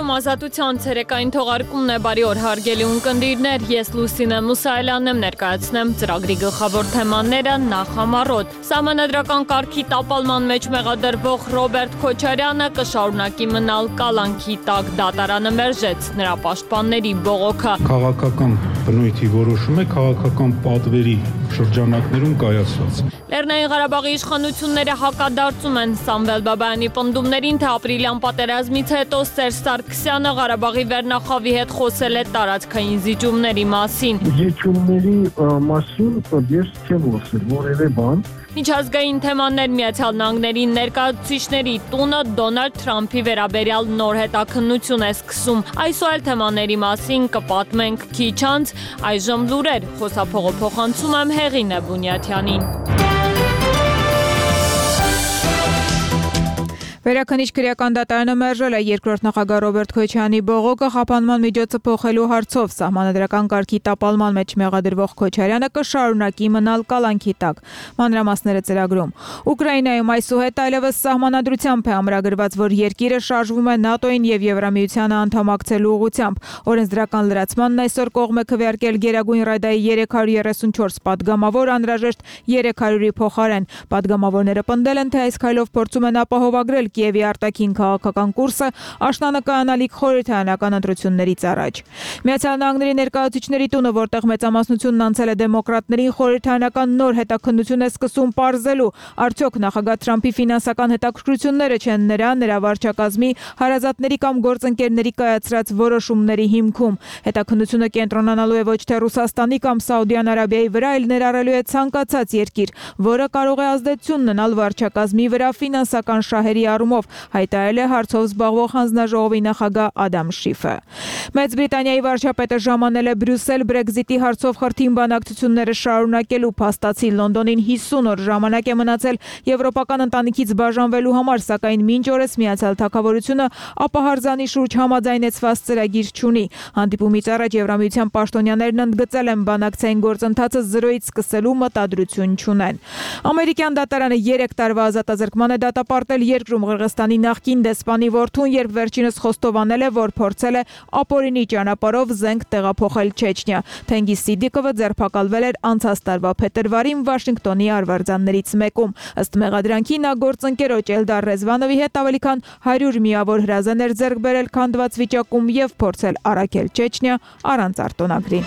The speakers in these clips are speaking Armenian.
Հայաստանում ազատության ցերեկային թողարկումն է, բարի օր հարգելի ունկնդիրներ, ես Լուսինե Մուսայելյանն եմ, ներկայացնեմ ծրագրի գլխավոր թեմաները նախ համառոտ։ Սահմանադրական կարգի տապալման մեջ մեղադրվող Ռոբերտ Քոչարյանը կշարունակի մնալ կալանքի տակ, դատարանը մերժեց նրա պաշտպանների բողոքը։ Քաղաքական բնույթի որոշում է քաղաքական պատվերի շրջանակներում կայացված։ Լեռնային Ղարաբաղի իշխանությունները հակադարձում են Սամվել Բաբայանի պնդումներին, թե ապրիլյան պատերազմից հետո Սերժ Սարգսյանը Ղարաբաղի վերնախավի հետ խոսել է տարածքային զիջումների մասին։ Զիջումների մասին ես չեմ խոսել որևէ բան։ Միջազգային թեմաներ Միացյալ Նահանգների ներկայացուցիչների տունը Դոնալդ Թրամփի վերաբերյալ նոր հետաքննություն է սկսում։ Այս ու այլ թեմաների մասին կպատմենք քիչ անց, այժմ լուրեր, խոսափողը փոխանցում եմ Հեղինե Բունյաթյանին։ Վերաքննիչ քրեական դատարանը մերժել է երկրորդ նախագահ Ռոբերտ Քոչարյանի բողոքը խափանման միջոցը փոխելու հարցով։ Սահմանադրական կարգի տապալման մեջ մեղադրվող Քոչարյանը կշարունակի մնալ կալանքի տակ։ Մանրամասները ծրագրում։ Ուկրաինայում այսուհետ այլևս սահմանադրությամբ է ամրագրված, որ երկիրը շարժվում է ՆԱՏՕ-ին եւ Եվրամիությանը անդամակցելու ուղղությամբ։ Օրենսդրական լրացմանն այսօր կողմ է քվեարկել Գերագույն Ռադայի 334 падգամավոր, անհրաժեշտ 300-ի փոխարեն։ Падգամավորները պնդել են, թե այս քայլով փորձում են ապահովագրել Կիևի արտաքին քաղաքական կուրսը աշնանականալիք խորհրդարանական ընտրություններից առաջ։ Միացյալ Նահանգների ներկայացուցիչների տունը, որտեղ մեծամասնությունն անցել է դեմոկրատներին, խորհրդարանական նոր հետաքննություն է սկսում պարզելու, արդյոք նախագահ Թրամփի ֆինանսական հետաքրքրությունները չեն նրա վարչակազմի, հարազատների կամ գործընկերների կայացրած որոշումների հիմքում։ Հետաքննությունը կենտրոնանալու է ոչ թե Ռուսաստանի կամ Սաուդյան Արաբիայի վրա, այլ ներառելու է ցանկացած երկիր, որը կարող է ազդեցություն ունենալ վարչակազմի վրա ֆինանսական շահերի առումով, հայտարարել է հարցով զբաղվող հանձնաժողովի նախագահ Ադամ Շիֆը։ Մեծ Բրիտանիայի վարչապետը ժամանել է Բրյուսել Բրեքզիտի հարցով խրթին բանակցությունները շարունակելու, փաստացի Լոնդոնին 50 օր ժամանակ է մնացել եվրոպական ընտանիքից բաժանվելու համար, սակայն մինչ օրս Միացյալ Թագավորությունը ապահարզանի շուրջ համաձայնեցված ծրագիր չունի։ Հանդիպումից առաջ Եվրամիության պաշտոնյաներն ընդգծել են բանակցային գործընթացը զրոյից սկսելու մտադրություն չունեն։ Ամերիկյան դատարանը 3 տարվա ազատազրկման է դատապարտել երկրում Ղրղստանի նախկին դեսպանի որդուն, երբ վերջինս խոստովանել է, որ փորձել է ապօրինի ճանապարհով զենք տեղափոխել Չեչնիա։ Թենգիս Սիդիկովը ձերբակալվել էր անցած տարվա փետրվարին Վաշինգտոնի արվարձաններից մեկում։ Ըստ մեղադրանքի նա գործընկերոջ Էլդար Ռեզվանովի հետ ավելի քան 100 միավոր հրազեն էր ձեռք բերել քանդված վիճակում եւ փորձել առաքել Չեչնիա առանց արտոնագրի։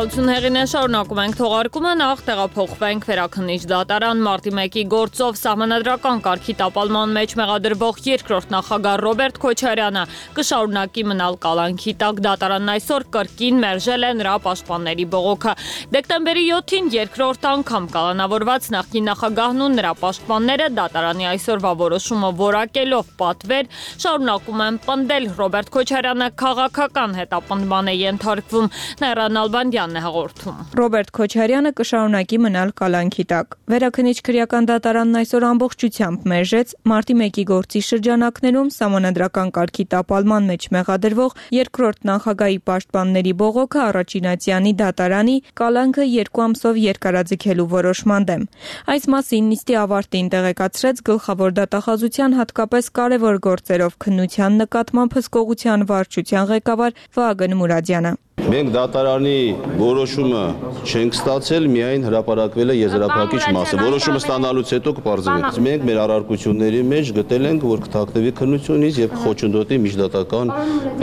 Շնորհակալություն Հեղինե, շարունակում ենք թողարկումը, նախ տեղափոխվենք Վերաքննիչ դատարան։ Մարտի 1-ի գործով սահմանադրական կարգի տապալման մեջ մեղադրվող երկրորդ նախագահ Ռոբերտ Քոչարյանը կշարունակի մնալ կալանքի տակ, դատարանն այսօր կրկին մերժել է նրա պաշտպանների բողոքը։ Դեկտեմբերի 7-ին երկրորդ անգամ կալանավորված նախկին նախագահն ու նրա պաշտպանները դատարանի այսօրվա որոշումը որակելով պատվեր շարունակում են պնդել Ռոբերտ Քոչարյանը քաղաքական հետապնդման է ենթարկվում։ Նայրան Ալբանդյանն է հաղորդում։ Ռոբերտ Քոչարյանը կշարունակի մնալ կալանքի տակ։ Վերաքննիչ քրեական դատարանն այսօր ամբողջությամբ մերժեց մարտի 1-ի գործի շրջանակներում սահմանադրական կարգի տապալման մեջ մեղադրվող երկրորդ նախագահի պաշտպանների բողոքը Առաջինացյանի դատարանի կալանքը 2 ամսով երկարաձգելու որոշման դեմ։ Այս մասին նիստի ավարտին տեղեկացրեց գլխավոր դատախազության հատկապես կարևոր գործերով քննության նկատմամբ հսկողության վարչության ղեկավար Վահագն Մուրադյանը։ Մենք դատարանի որոշումը չենք ստացել, միայն հրապարակվել է եզրափակիչ մասը։ Որոշումը ստանալուց հետո կպարզվի։ Մենք մեր առարկությունների մեջ գտել ենք, որ կթաքնվի քննությունից եւ խոչընդոտի միջդատական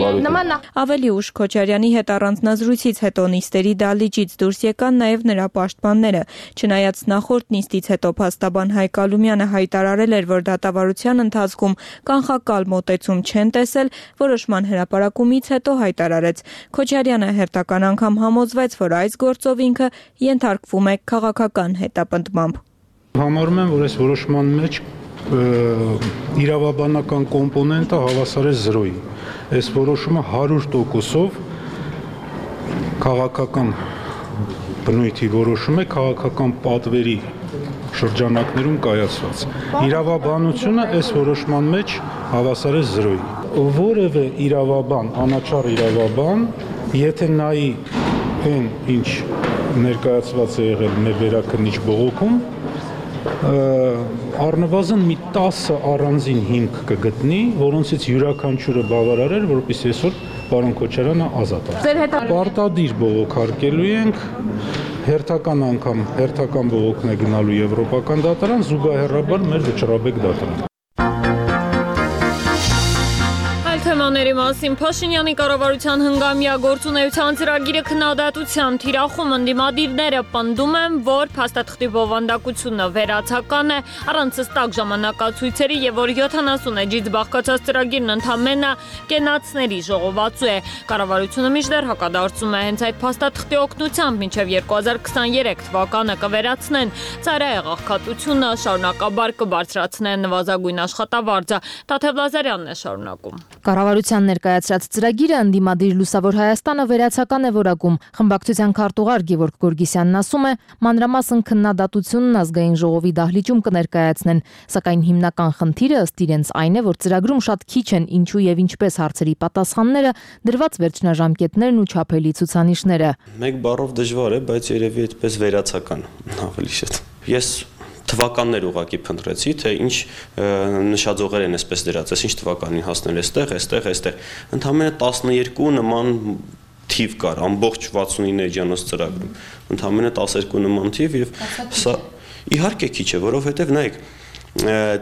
բարույթը։ Ավելի ուշ Քոչարյանի հետ առանձնազրույցից հետո նիստերի դահլիճից դուրս եկան նաեւ նրա պաշտպանները։ Չնայած նախորդ նիստից հետո փաստաբան Հայկ Ալումյանը հայտարարել էր, որ դատավարության ընթացքում կանխակալ մոտեցում չեն տեսել, որոշման հրապարակումից հետո հայտարարեց Քոչարյանը հերթական անգամ համոզվեց, որ այս գործով ինքը ենթարկվում է քաղաքական հետապնդմամբ։ Համարում եմ, որ այս որոշման մեջ իրավաբանական կոմպոնենտը հավասար է 0-ի։ Այս որոշումը 100%-ով քաղաքական բնույթի որոշում է, քաղաքական պատվերի շրջանակներում կայացված։ Իրավաբանությունը այս որոշման մեջ հավասար է 0-ի։ Որևէ իրավաբան, անաչառ իրավաբան, եթե նայի այն ինչ ներկայացված է եղել մեր վերաքննիչ բողոքում, առնվազն մի 10 առանձին հիմք կգտնի, որոնցից յուրաքանչյուրը բավարար էր, որպեսզի այսօր պարոն Քոչարյանը ազատ է։ Պարտադիր բողոք հարկելու ենք, հերթական անգամ հերթական բողոքն է գնալու Եվրոպական դատարան, զուգահեռաբար մեր վճռաբեկ դատարան։ Թեմաների մասին Փաշինյանի կառավարության հնգամյա գործունեության ծրագիրը քննադատության թիրախում ընդդիմադիրները պնդում են, որ փաստաթղթի բովանդակությունը վերացական է, առանց հստակ ժամանակացույցերի եւ որ 70 էջից բաղկացած ծրագիրն ընդամենը կենացների ժողովածու է։ Կառավարությունը մինչդեռ հակադարձում է հենց այդ փաստաթղթի օգնությամբ մինչեւ 2023 թվականը կվերացնեն ծայրահեղ աղքատությունը, շարունակաբար կբարձրացնեն նվազագույն աշխատավարձը։ Տաթև Լազարյանն է շարունակում։ Կառավարության ներկայացրած ծրագիրը ընդդիմադիր Լուսավոր Հայաստանը վերացական է որակում։ Խմբակցության քարտուղար Գևորգ Գորգիսյանն ասում է, մանրամասն քննադատությունն ազգային ժողովի դահլիճում կներկայացնեն, սակայն հիմնական խնդիրը ըստ իրենց այն է, որ ծրագրում շատ քիչ են ինչու եւ ինչպես հարցերի պատասխանները, դրված վերջնաժամկետներն ու չափելի ցուցանիշները։ Մեկ բառով դժվար է, բայց երևի այդպես վերացական ավելի շատ։ Ես թվականներ ուղակի փնտրեցի, թե ինչ նշաձողեր են այսպես դրած, ինչ թվականին հասնել այստեղ։ Ընդամենը 12 նման թիվ կար, ամբողջ 69 էջանոց ծրագրում։ Ընդամենը 12 նման թիվ եւ սա իհարկե քիչ է, որովհետեւ նայեք,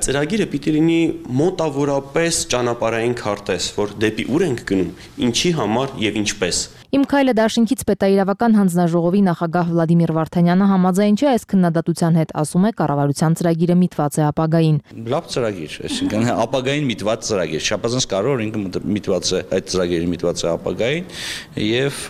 ծրագիրը պիտի լինի մոտավորապես ճանապարհային քարտեզ, որ դեպի ուր ենք գնում, ինչի համար եւ ինչպես։ Իմ քայլը դաշինքից պետաիրավական հանձնաժողովի նախագահ Վլադիմիր Վարդանյանը համաձայն չէ այս քննադատության հետ, ասում է կառավարության ծրագիրը միտված է ապագային։ Լավ ծրագիր, այսինքն ապագային միտված ծրագիր, շապազանց կարող ինքը միտված է, այդ ծրագիրը միտված է ապագային եւ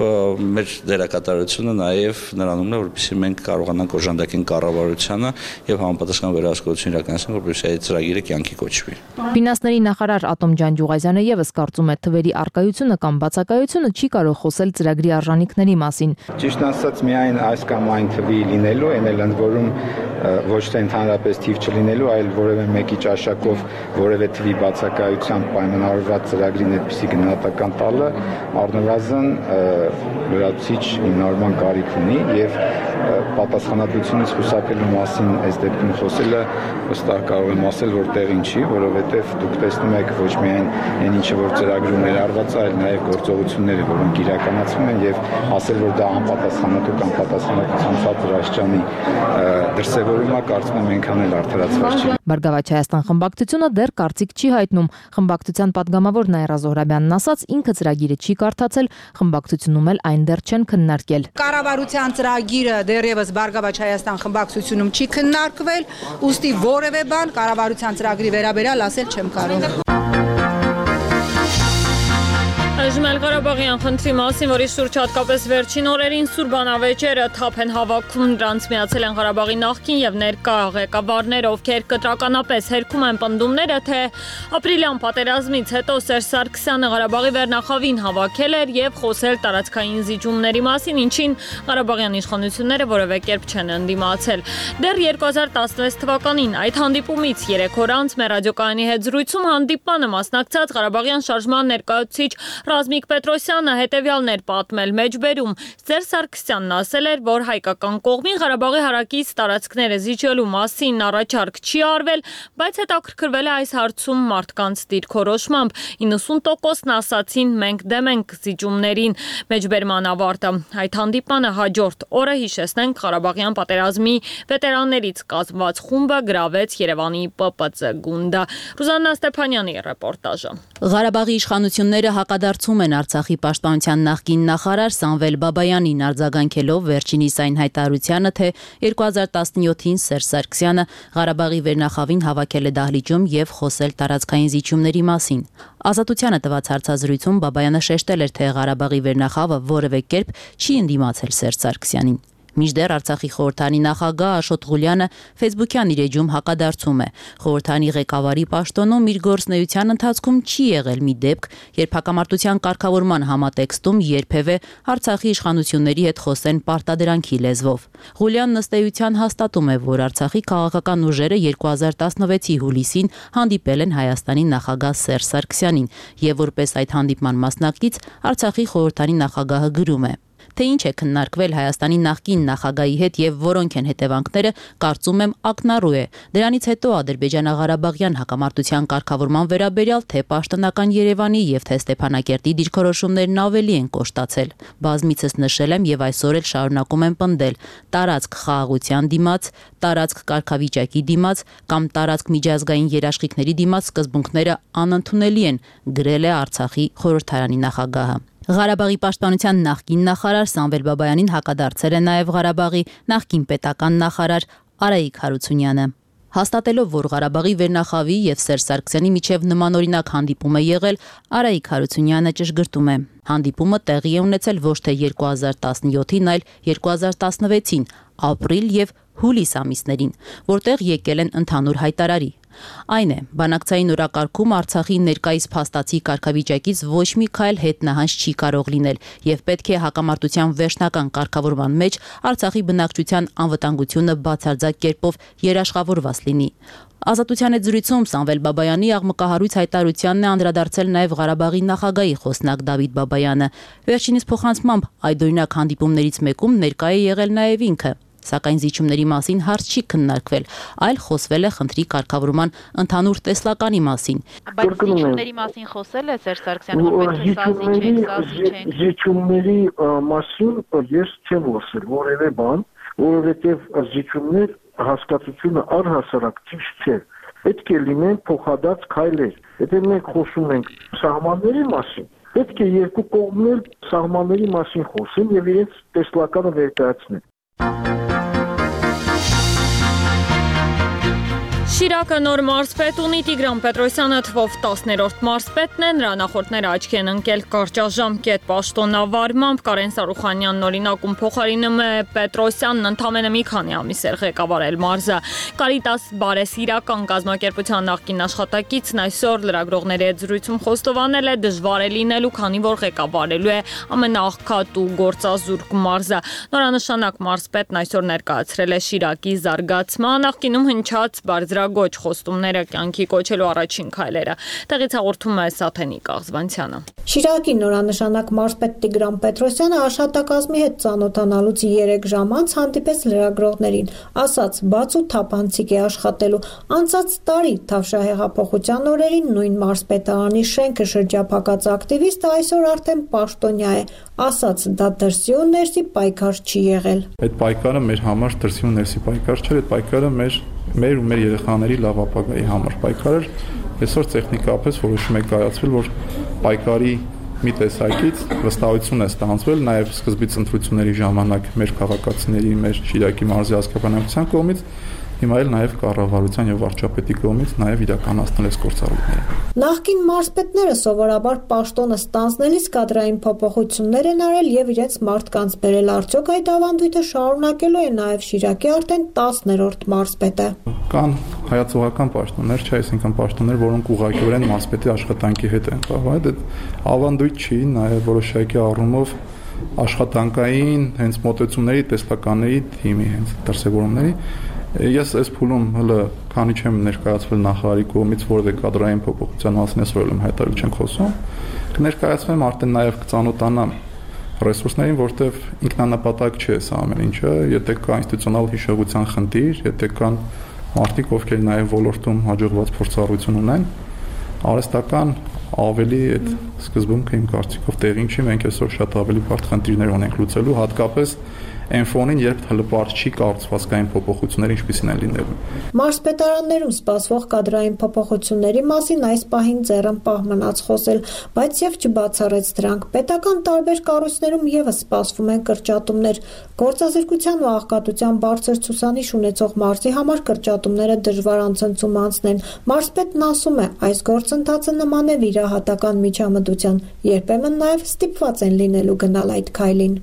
մեր դերակատարությունը նաեւ նրանումն է, որպեսզի մենք կարողանանք օժանդակեն կառավարությանը եւ համապատասխան վերահսկողություն իրականացնել, որպեսզի այդ ծրագիրը կյանքի կոչվի։ Ֆինանսների նախարար Ատոմ Ջանջուղազյանը եւս կարծում է թվերի արկայությունը կամ բացակայությունը չի կարող խոսել ծրագրի արժանինքների մասին։ Ճիշտ ասած, միայն այս կամ այն թվի լինելու, այն էլ ընդ որում ոչ թե ընդհանրապես թիվ չլինելու, այլ որևէ մեկի ճաշակով որևէ թվի բացակայությամբ պայմանավորված ծրագրին այդպիսի գնահատական տալը առնվազն լրացուցիչ հիմնավորման կարիք ունի եւ պատասխանատվությունից խուսափելու մասին այս դեպքում խոսելը վստահ կարող եմ ասել, որ տեղին չի, որովհետեւ դուք տեսնում եք ոչ միայն այն ինչը որ ծրագրում ներառված է, այլ նաեւ գործողությունները, որոնք իրականացվում են եւ ասել, որ դա անպատասխանատու կամ պատասխանատվության ցածր աստիճանի դրսևորումը կարծում եմ այնքան էլ արդարացված չի։ Բարգավաճ Հայաստան խմբակցությունը դեռ կարծիք չի հայտնում։ Խմբակցության падգամավոր Նաիրա Զոհրաբյանն ասաց, ինքը ծրագիրը չի կարդացել, խմբակցությունում էլ այն դեռ չեն քննարկել։ Կառավարության ծրագիրը դեռևս Բարգավաճ Հայաստան խմբակցությունում չի քննարկվել, ուստի որևէ բան կառավարության ծրագրի վերաբերյալ ասել չեմ կարող։ Այժմ Ղարաբաղյան խնդրի մասին, որի շուրջ հատկապես վերջին օրերին Սուրբանավեճերը թափ են հավաքում, դրանց միացել են Ղարաբաղի նախկին եւ ներկա ղեկավարներ, ովքեր կտրականապես հերքում են պնդումները, թե ապրիլյան պատերազմից հետո Սերժ Սարգսյանը Ղարաբաղի վերնախավին հավաքել էր եւ խոսել տարածքային զիջումների մասին, ինչին Ղարաբաղյան իշխանությունները որևէ կերպ չեն ընդդիմացել։ Դեռ 2016 թվականին այդ հանդիպումից 3 օր անց մեր ռադիոկայանի հետ զրույցում հանդիպմանը մասնակցած Ղարաբաղյան շարժման ներկայացուցիչ Ռազմիկ Պետրոսյանը հետևյալն էր պատմել մեջբերում։ Սերժ Սարգսյանն ասել էր, որ հայկական կողմին Ղարաբաղի հարակից տարածքները զիջելու մասին առաջարկ չի արվել, բայց հետաքրքրվել է այս հարցում մարդկանց դիրքորոշմամբ։ 90%-ն ասացին մենք դեմ ենք զիջումներին։ Մեջբերման ավարտը։ Այդ հանդիպանը հաջորդ օրը հիշեցնենք Ղարաբաղյան պատերազմի վետերաններից կազմված խումբը գրավեց Երևանի ՊՊՑ գունդը։ Ռուզաննա Ստեփանյանի ռեպորտաժը։ Ղարաբաղի իշխանությունները հակադարձում են Արցախի պաշտպանության նախկին նախարար Սամվել Բաբայանին արձագանքելով վերջինիս այն հայտարարությանը, թե 2017-ին Սերժ Սարգսյանը Ղարաբաղի վերնախավին հավաքել է դահլիճում եւ խոսել տարածքային զիջումների մասին։ Ազատությանը տված հարցազրույցում Բաբայանը շեշտել էր, թե Ղարաբաղի վերնախավը որևէ կերպ չի ընդդիմացել Սերժ Սարգսյանին։ Մինչդեռ Արցախի խորհրդանի նախագահ Աշոտ Ղուլյանը Facebook-յան իր էջում հակադարձում է։ Խորհրդանի ղեկավարի պաշտոնում իր գործունեության ընթացքում չի եղել մի դեպք, երբ հակամարտության կարգավորման համատեքստում երբևէ Արցախի իշխանությունների հետ խոսեն պարտադրանքի լեզվով։ Ղուլյանն ըստ էության հաստատում է, որ Արցախի քաղաքական ուժերը 2016-ի հուլիսին հանդիպել են Հայաստանի նախագահ Սերժ Սարգսյանին, եւ որպես այդ հանդիպման մասնակից Արցախի խորհրդանի նախագահը գրում է. Թե ինչ է քննարկվել Հայաստանի նախկին նախագահի հետ եւ որոնք են հետևանքները, կարծում եմ ակնառու է։ Դրանից հետո Ադրբեջանա-Ղարաբաղյան հակամարտության կարգավորման վերաբերյալ թե պաշտոնական Երևանի եւ թե Ստեփանակերտի դիրքորոշումներն ավելի են կոշտացել։ Բազմիցս նշել եմ եւ այսօր էլ շարունակում եմ պնդել. տարածք խաղաղության դիմաց, տարածք կարգավիճակի դիմաց կամ տարածք միջազգային երաշխիքների դիմաց սկզբունքները անընդունելի են, գրել է Արցախի խորհրդարանի նախագահը։ Ղարաբաղի պաշտպանության նախկին նախարար Սամվել Բաբայանին հակադարձել է նաև Ղարաբաղի նախկին պետական նախարար Արայիկ Հարությունյանը։ Հաստատելով, որ Ղարաբաղի վերնախավի եւ Սերժ Սարգսյանի միջև նմանօրինակ հանդիպում է եղել, Արայիկ Հարությունյանը ճշգրտում է. հանդիպումը տեղի է ունեցել ոչ թե 2017-ին, այլ 2016-ին, ապրիլ եւ հուլիս ամիսներին, որտեղ եկել են ընդհանուր հայտարարի։ Այն է, բանակցային օրակարգում Արցախի ներկայիս փաստացի կարգավիճակից ոչ մի քայլ հետնահանջ չի կարող լինել եւ պետք է հակամարտության վերջնական կարգավորման մեջ Արցախի բնակչության անվտանգությունը բացարձակ կերպով երաշխավորված լինի։ Ազատության հետ զրույցում Սամվել Բաբայանի աղմկահարույց հայտարարությանն է անդրադարձել նաև Ղարաբաղի նախագահի խոսնակ Դավիթ Բաբայանը։ Վերջինիս փոխանցմամբ այդօրինակ հանդիպումներից մեկում ներկայ է եղել նաև ինքը։ Սակայն զիջումների մասին հարց չի քննարկվել, այլ խոսվել է խնդրի կարգավորման ընդհանուր տեսլականի մասին։ Բայց զիջումների մասին խոսել է Սերժ Սարգսյանը, որպես զիջումների մասին ես չեմ խոսել որևէ բան, որովհետև զիջումներ հասկացությունը առհասարակ ճիշտ չէ։ Պետք է լինեն փոխադարձ քայլեր։ Եթե մենք խոսում ենք սահմանների մասին, պետք է երկու կողմներ սահմանների մասին խոսեն եւ իրենց տեսլականը ներկայացնեն։ Շիրակը նոր մարզպետ ունի Տիգրան Պետրոսյանը թվով 10-րդ մարզպետն է, նրա նախորդները աչքի են ընկել կարճաժամկետ պաշտոնավարմամբ, Կարեն Սարուխանյանն օրինակում փոխարինում է Պետրոսյանն ընդամենը մի քանի ամիս էր ղեկավարել մարզը։ Կարիտաս բարեսիրական կազմակերպության նախկին աշխատակիցն այսօր լրագրողների հետ զրույցում խոստովանել է դժվար է լինելու, քանի որ ղեկավարելու է ամենաաղքատ ու գործազուրկ մարզը։ Նորանշանակ մարզպետն այսօր ներկայացրել է Շիրակի զարգացման նախկինում հնչած բարձրագույն խոստումները կյանքի կոչելու առաջին քայլերը։ Տեղից հաղորդում է Սաթենիկ Աղզվանցյանը։ Շիրակի նորանշանակ մարզպետ Տիգրան Պետրոսյանը աշխատակազմի հետ ծանոթանալուց 3 ժամ անց հանդիպեց լրագրողներին, ասաց՝ բաց ու թափանցիկ է աշխատելու։ Անցած տարի Թավշյա հեղափոխության օրերին նույն մարզպետարանի շենքը շրջափակած ակտիվիստը այսօր արդեն պաշտոնյա է, ասաց՝ դա դրսի ու ներսի պայքար չի եղել։ Այդ պայքարը մեր համար դրսի ու ներսի պայքար չէր, այդ պայքարը մեր ու մեր երեխաների լավ ապագայի համար պայքար էր։ Այսօր տեխնիկապես որոշում է կայացվել, որ պայքարի մի տեսակից վստահություն է ստանձվել նաև սկզբից ընտրությունների ժամանակ մեր քաղաքացիների, մեր Շիրակի մարզի ազգաբնակության կողմից, հիմա էլ նաև կառավարության եւ վարչապետի կողմից նաև իրականացնել այս գործառույթները։ Նախկին մարզպետները սովորաբար պաշտոնը ստանձնելիս կադրային փոփոխություններ են արել եւ իրենց մարդկանց բերել, արդյոք այդ ավանդույթը շարունակելու է նաև Շիրակի արդեն 10-րդ մարզպետը։ Կան հայացողական պաշտոններ, չէ, այսինքն պաշտոններ, որոնք ուղղակիորեն մարզպետի աշխատանքի հետ են կապված։ Այդ ավանդույթ չի, նաև որոշակի առումով աշխատանքային հենց մոտեցումների, տեսլականների թիմի հենց դրսևորումների Ես այս փուլում հələ քանի չեմ ներկայացվել նախարարի կողմից որևէ կադրային փոփոխության մասին այսօր եմ հայտարարել չենք խոսում կներկայացվեմ արդեն նաև կծանոթանամ ռեսուրսներին որտեղ ինքնանպատակ չէ սա ամեն ինչը եթե կա ինստիտուցիոնալ հիշողության խնդիր եթե կան մարդիկ ովքեր նաև ոլորտում հաջողված փորձառություն ունեն արհեստական ավելի այդ սկզբունքը իմ կարծիքով տեղին չի մենք այսօր շատ ավելի բարդ խնդիրներ ունենք լուծելու հատկապես Այն ֆոնին, երբ հլպարտ չի կառուցվածքային փոփոխությունները ինչպիսին են լինելու։ Մարզպետարաններում սպասվող կադրային փոփոխությունների մասին այս պահին ձեռն պահ մնաց խոսել, բայց եւ չբացառեց դրանք։ Պետական տարբեր կառույցներում եւս սպասվում են կրճատումներ։ Գործազրկության ու աղքատության բարձր ցուցանիշ ունեցող մարզի համար կրճատումները դժվար անցնցում անցնեն։ Մարզպետն ասում է, այս գործընթացը նման է վիրահատական միջամտության, երբեմն նաեւ ստիպված են լինելու գնալ այդ քայլին։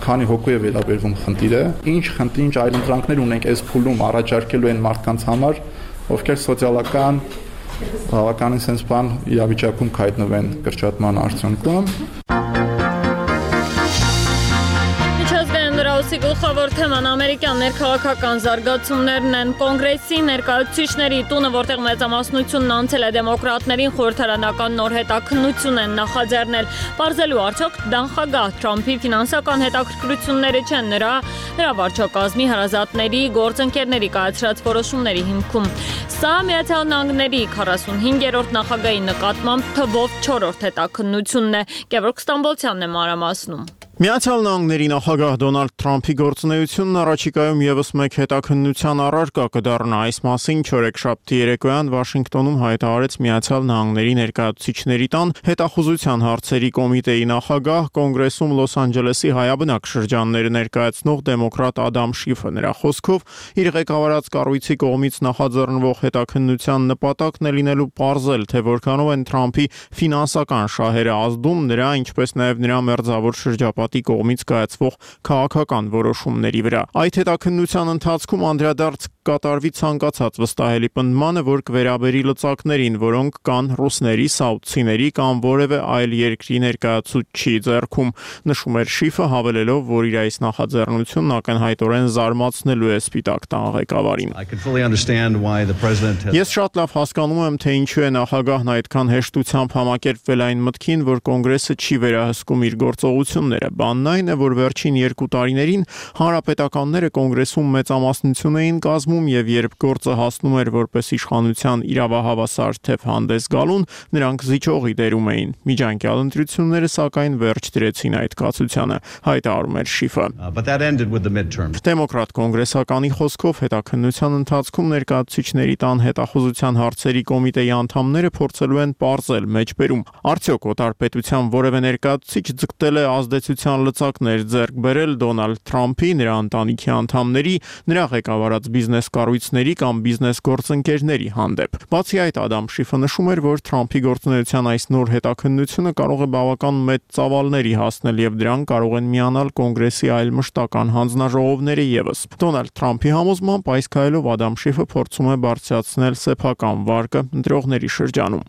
Քանի հոգու է վերաբերվում խնդիր է։ Ինչ այլընտրանքներ ունենք այս փուլում առաջարկելու են մարդկանց համար, ովքեր սոցիալական բավականին sense բան իրավիճակում կհայտնվեն կրճատման արդյունքում։ Լրահոսի գլխավոր թեման ամերիկյան ներքաղաքական զարգացումներն են։ Կոնգրեսի ներկայացուցիչների տունը, որտեղ մեծամասնությունն անցել է դեմոկրատներին, խորհրդարանական նոր հետաքննություն են նախաձեռնել։ Պարզելու արդյոք նախագահ Թրամփի ֆինանսական հետաքրքրությունները չեն նրա վարչակազմի հարազատների գործընկերների կայացրած որոշումների հիմքում։ Սա Միացյալ Նահանգների 45-րդ նախագահի նկատմամբ թվով 4-րդ հետաքննությունն է։ Գևորգ Ստամբոլցյանն է մանրամասնում։ Միացյալ Նահանգների նախագահ Դոնալդ Թրամփի գործունեությունն առաջիկայում եւս մեկ հետաքննության առարկա կդառնա։ Այս մասին չորեքշաբթի երեկոյան Վաշինգտոնում հայտարարեց Միացյալ Նահանգների ներկայացուցիչների տան հետախուզության հարցերի կոմիտեի նախագահ, Կոնգրեսում Լոս Անջելեսի հայաբնակ շրջանները ներկայացնող դեմոկրատ Ադամ Շիֆը։ Նրա խոսքով իր ղեկավարած կառույցի կողմից նախաձեռնվող հետաքննության նպատակն է լինելու պարզել, թե որքանով են Թրամփի ֆինանսական շահերը ազդում նրա, ինչպես նաեւ նրա մերձավոր շրջապատի կողմից կայացվող քաղաքական որոշումների վրա։ Այդ հետաքննության ընթացքում անդրադարձ կատարվի ցանկացած վստահելի պնդմանը, որ կվերաբերի լծակներին, որոնք կան ռուսների, սաուդցիների կամ որևէ այլ երկրի ներկայացուցչի ձեռքում, նշում էր Շիֆը, հավելելով, որ իր այս նախաձեռնությունն ակնհայտորեն զարմացնելու է Սպիտակ տան ղեկավարին։ Ես շատ լավ հասկանում եմ, թե ինչու է նախագահն այդքան հեշտությամբ համակերպվել այն մտքին, որ Կոնգրեսը չի վերահսկում իր գործողությունները։ Բանն այն է, որ վերջին 2 տարիներին հանրապետականները Կոնգրեսում մեծամասնություն էին կազմում, եւ երբ գործը հասնում էր որպես իշխանության իրավահավասար թեվ հանդես գալուն, նրանք զիջողի դերում էին։ Միջանկյալ ընտրությունները սակայն վերջ դրեցին այդ կացությանը, հայտարարում էր Շիֆը։ Դեմոկրատ կոնգրեսականի խոսքով հետաքննության ընթացքում ներկայացուցիչների տան հետախուզության հարցերի կոմիտեի անդամները փորձելու են պարզել մեջբերում, արդյոք օտարպետության որևէ ներկայացուցիչ ձգտել է ազդեցության լծակներ ձեռք բերել Դոնալդ Թրամփի, նրա ընտանիքի անդամների, նրա ղեկավարած բիզնես կառույցների կամ բիզնես գործընկերների հանդեպ։ Բացի այդ, Ադամ Շիֆը նշում էր, որ Թրամփի գործունեության այս նոր հետաքննությունը կարող է բավական մեծ ծավալների հասնել եւ դրան կարող են միանալ Կոնգրեսի այլ մշտական հանձնաժողովները եւս։ Դոնալդ Թրամփի համոզմամբ այս քայլով Ադամ Շիֆը փորձում է բարձրացնել սեփական վարկը ընտրողների շրջանում։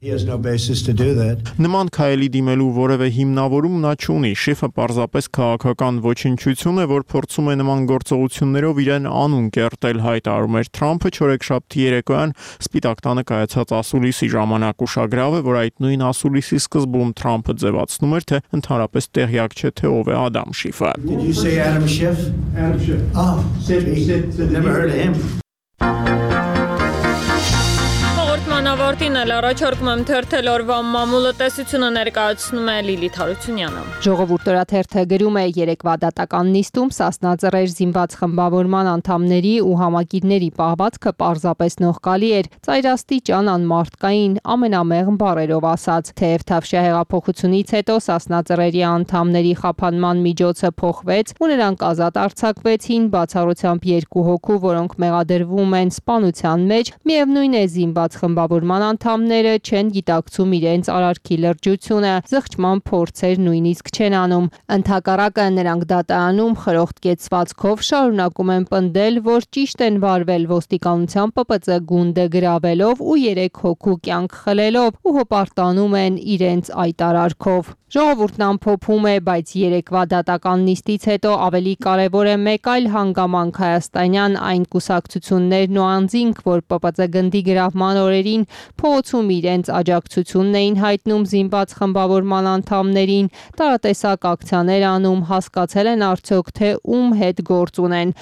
Նման քայլի դիմելու որևէ հիմնավորում նա չունի։ Շիֆը պարզապես քաղաքական ոչնչություն է, որ փորձում է նման գործողություններով իրեն անուն կերտել, հայտարարում էր Թրամփը չորեքշաբթի երեկոյան Սպիտակ տանը կայացած ասուլիսի ժամանակ։ Ուշագրավ է, որ այդ նույն ասուլիսի սկզբում Թրամփը ձևացնում էր, թե ընդհանրապես տեղյակ չէ, թե ով է Ադամ Շիֆը։ Ավարտին էլ առաջարկում եմ թերթել օրվա մամուլը տեսությունը ներկայացնում է Լիլիթ Հարությունյանը։ Ժողովուրդ օրաթերթը գրում է երեկվա դատական նիստում Սասնա Ծռեր զինված խմբավորման անդամների ու համակիրների պահվածքը պարզապես նողկալի էր, ծայրաստիճան անմարդկային, ամենամեղմ բառերով ասած։ Թեև Թավշյա հեղափոխությունից հետո Սասնա Ծռերի անդամների խափանման միջոցը փոխվեց ու նրանք ազատ արձակվեցին, բացառությամբ 2 հոգու, որոնք մեղադրվում են սպանության մեջ, միևնույն է զինված խմբավորման անդամները չեն գիտակցում իրենց արարքի լրջությունը, զղջման փորձեր նույնիսկ չեն անում։ Ընդհակառակը նրանք դատարանում խրոխտ կեցվածքով շարունակում են պնդել, որ ճիշտ են վարվել ոստիկանության ՊՊԾ գունդը գրավելով ու 3 հոգու կյանք խլելով ու հպարտանում են իրենց այդ արարքով։ Ժողովուրդն ամփոփում է, բայց երեկվա դատական նիստից հետո ավելի կարևոր է մեկ այլ հանգամանք հայաստանյան այն կուսակցություններն ու անձինք, որ ՊՊԾ գնդի գրավման օրերին փողոցում իրենց աջակցությունն էին հայտնում զինված խմբավորման անդամներին, տարատեսակ ակցիաներ անում, հասկացել են արդյոք, թե ում հետ գործ ունեն։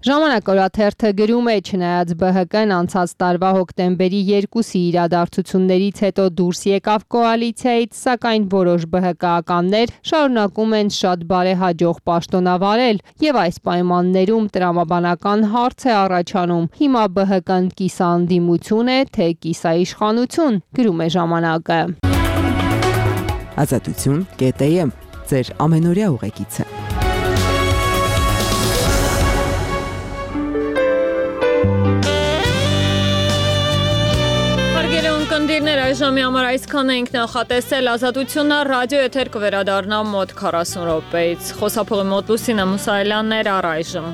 Ժամանակ օրաթերթը գրում է, չնայած ԲՀԿ-ն անցած տարվա հոկտեմբերի 2-ի իրադարձություններից հետո դուրս եկավ կոալիցիայից, սակայն որոշ ԲՀԿ-ականներ շարունակում են շատ բարեհաջող պաշտոնավարել եւ այս պայմաններում տրամաբանական հարց է առաջանում։ Հիմա ԲՀԿ-ն կիսաանդիմություն է, թե կիսաիշխանություն, գրում է Ժամանակը։ Ազատություն.am ձեր ամենօրյա ուղեկիցը։ առայժմի համար այսքան ենք նախատեսել, Ազատությունը ռադիո եթեր կվերադառնա մոտ 40 րոպեից։ Խոսափողի մոտ Լուսինա Մուսայելյանն էր առայժմ։